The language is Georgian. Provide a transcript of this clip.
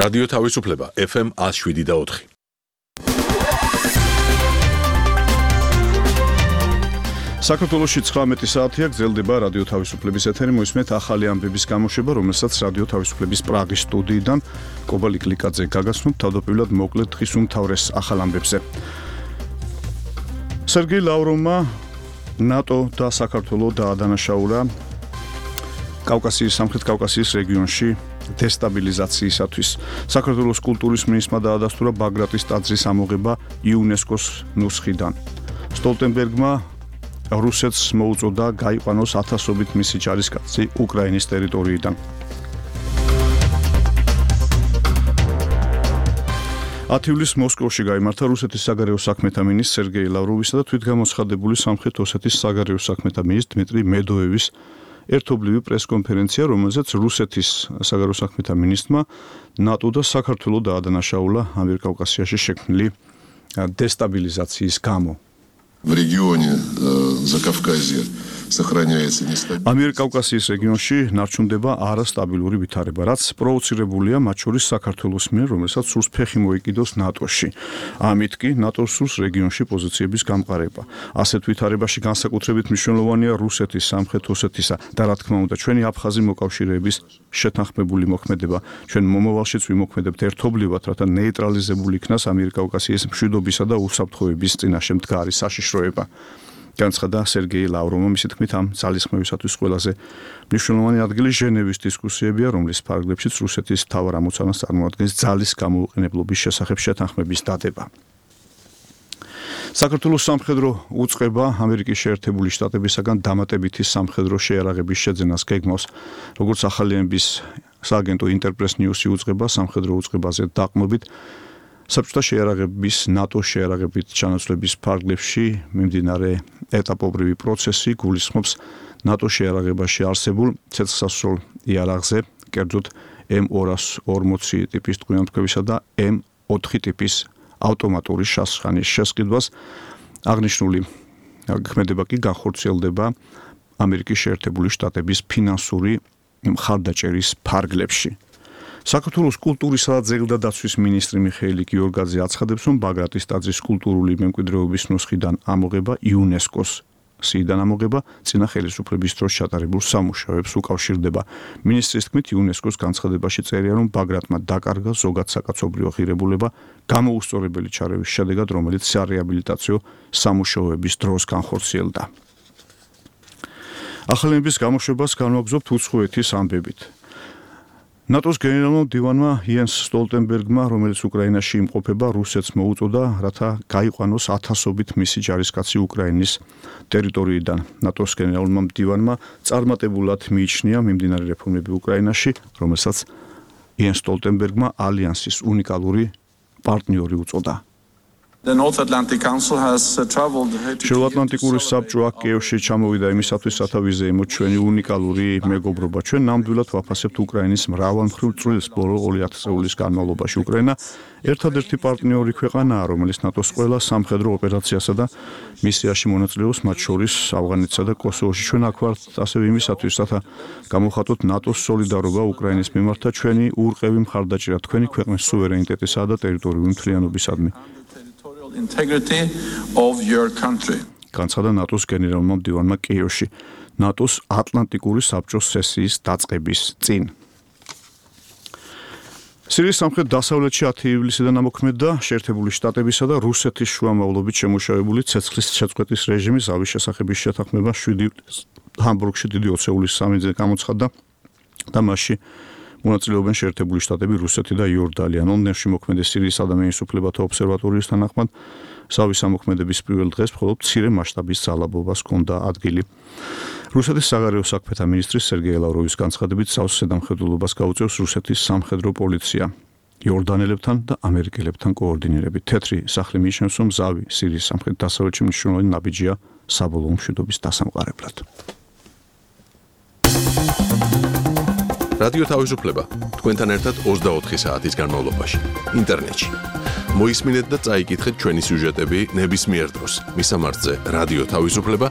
რადიო თავისუფლება FM 107.4. საქართველოში 19 საათია გრძელდება რადიო თავისუფლების ეთერი. მოისმენთ ახალი ამბების გამოშვება, რომელსაც რადიო თავისუფლების პრაღის სტუდიიდან კობალი კლიკაძე გაგაცნობთ. თავდაპირველად მოკლედ დღის უმთავრეს ახალ ამბებზე. სერგეი ლავროვმა ნატო და საქართველოს დაადანაშაულა სამხრეთ კავკასიის რეგიონში დესტაბილიზაციისათვის. საქართველოს კულტურის მინისტრმა დაადასტურა ბაგრატის ტაძრის ამოღება იუნესკოს ნუსხიდან. სტოლტენბერგმა რუსეთს მოუწოდა გაიყვანოს ათასობით მისი ჯარისკაცი უკრაინის ტერიტორიიდან. 10 ივლისს მოსკოვში გაიმართა რუსეთის საგარეო საქმეთა მინისტრ სერგეი ლავროვისა და თვითგამოცხადებული სამხრეთ ოსეთის საგარეო საქმეთა მინისტრ დმიტრი მედოევის ერთობლივი პრესკონფერენცია, რომელზეც რუსეთის საგარეო საქმეთა მინისტრმა ნატო და საქართველოს დაადანაშაულა ამიერკავკასიაში შექმნილი დესტაბილიზაციის გამო. В регионе Закавказья сохраняется нестабильность. ამიერკავკასიის რეგიონში ნარჩუნდება არასტაბილური ვითარება, რაც პროვოცირებულია მათ შორის საქართველოს მიერ, რომელსაც სურს ფეხი მოიკიდოს ნატოში. ამით კი ნატოს სურს რეგიონში პოზიციების გამყარება. ასეთ ვითარებაში განსაკუთრებით მნიშვნელოვანია რუსეთის, სამხრეთ ოსეთისა და რა თქმა უნდა ჩვენი აფხაზი მოკავშირეების შეთანხმებული მოქმედება. ჩვენ მომავალშიც ვიმოქმედებთ ერთობლივად, რათა ნეიტრალიზებული იქნას ამიერკავკასიის მშვიდობისა და უსაფრთხოების წინაშე მდგარი საშიშროება. განცხადა სერგეი ლავროვმა. მისი თქმით, ამ ძალისხმევისათვის ყველაზე მნიშვნელოვანი ადგილი ჟენევის დისკუსიებია, რომლის ფარგლებშიც რუსეთის მთავარ ამოცანას წარმოადგენს ძალის გამოუყენებლობის შესახებ შეთანხმების დადება. საქართველოს სამხედრო უწყება ამერიკის შეერთებული შტატებისაგან დამატებითი სამხედრო შეიარაღების შეძენას გეგმავს. როგორც ახალიანების სააგენტო ინტერპრეს ნიუსი უწყება სამხედრო უწყებაზე დაყრდნობით საბჭოთა შეიარაღების ნატოს შეიარაღებით ჩანაცვლების ფარგლებში მიმდინარე ეტაპობრივი პროცესი გულისხმობს ნატოს შეიარაღებაში არსებულ ცეცხლსასროლ იარაღზე, კერძოდ M240 ტიპის ტყვიამთქვევისა და M4 ტიპის ავტომატური შასხანის შესყიდვას. აღნიშნული ქმედება კი განხორციელდება ამერიკის შეერთებული შტატების ფინანსური მხარდაჭერის ფარგლებში. საქართველოს კულტურისა და ძეგლდადაცვის მინისტრი მიხეილი გიორგაძე აცხადებს, რომ ბაგრატის ტაძრის კულტურული მემკვიდრეობის ნუსხიდან ამოღება იუნესკოს სიიდან ამოღება წინა ხელისუფლების დროს ჩატარებულ სამუშაოებს უკავშირდება. მინისტრის თქმით, იუნესკოს განცხადებაში წერია, რომ ბაგრატმა დაკარგა ზოგად საკაცობრიო ღირებულება გამოუსწორებელი ჩარევის შედეგად, რომელიც სარეაბილიტაციო სამუშაოების დროს განხორციელდა. ახალების გამოშვებას განვაგრძობთ უცხოეთის ამბებით. ნატოს გენერალურმა მდივანმა იენს სტოლტენბერგმა, რომელიც უკრაინაში იმყოფება, რუსეთს მოუწოდა, რათა გაიყვანოს ათასობით მისი ჯარისკაცი უკრაინის ტერიტორიიდან. ნატოს გენერალურმა მდივანმა წარმატებულად მიიჩნია მიმდინარე რეფორმები უკრაინაში, რომელსაც იენს სტოლტენბერგმა ალიანსის უნიკალური პარტნიორი უწოდა. შეუატლანტიკური საბჭო აქ კიევში ჩამოვიდა იმისათვის, რათა ვიზეიმოთ ჩვენი უნიკალური მეგობრობა. ჩვენ ნამდვილად ვაფასებთ უკრაინის მრავალმხრივ წვლილს ბოლო 20 წლის განმავლობაში. უკრაინა ერთადერთი პარტნიორი ქვეყანაა, რომელიც ნატოს ყველა სამხედრო ოპერაციასა და მისიაში მონაწილეობს, მათ შორის ავღანეთსა და კოსოვოში. ჩვენ აქ ვართ ასევე იმისათვის, რათა გამოვხატოთ ნატოს სოლიდარობა უკრაინის მიმართ და ჩვენი ურყევი მხარდაჭერა თქვენი ქვეყნის სუვერენიტეტისა და ტერიტორიული მთლიანობისადმი. Integrity of your country. განცხადა ნატოს გენერალურმა მდივანმა კიევში ნატოს ატლანტიკური საბჭოს სესიის დაწყების წინ. სირიის სამხრეთ დასავლეთში 10 ივლისიდან ამოქმედდა შეერთებული შტატებისა და რუსეთის შუამავლობით შემუშავებული ცეცხლის შეწყვეტის რეჟიმი. ზავის შესახების შეთანხმება 7 ივლისს ჰამბურგში დიდი ოცეულის სამინზე გამოცხადდა და მასში მონაწილეობენ შეერთებული შტატები, რუსეთი და იორდანია. ლონდონში მოქმედი სირიის ადამიანის უფლებათა ობსერვატორიის თანახმად ზავის ამოქმედების პირველ დღეს მხოლოდ მცირე მასშტაბის ძალადობას ჰქონდა ადგილი. რუსეთის საგარეო საქმეთა მინისტრის სერგეი ლავროვის განცხადებით, ზავს ზედამხედველობას გაუწევს რუსეთის სამხედრო პოლიცია. იორდანელებთან და ამერიკელებთან კოორდინირებით. თეთრი სახლი მიიჩნევს, რომ ზავი სირიის სამხრეთ დასავლეთში მნიშვნელოვანი ნაბიჯია საბოლოო მშვიდობის დასამყარებლად. რადიო თავისუფლება თქვენთან ერთად 24 საათის განმავლობაში ინტერნეტში. მოისმინეთ და წაიკითხეთ ჩვენი სიუჟეტები ნებისმიერ დროს. მისამართზე რადიო თავისუფლება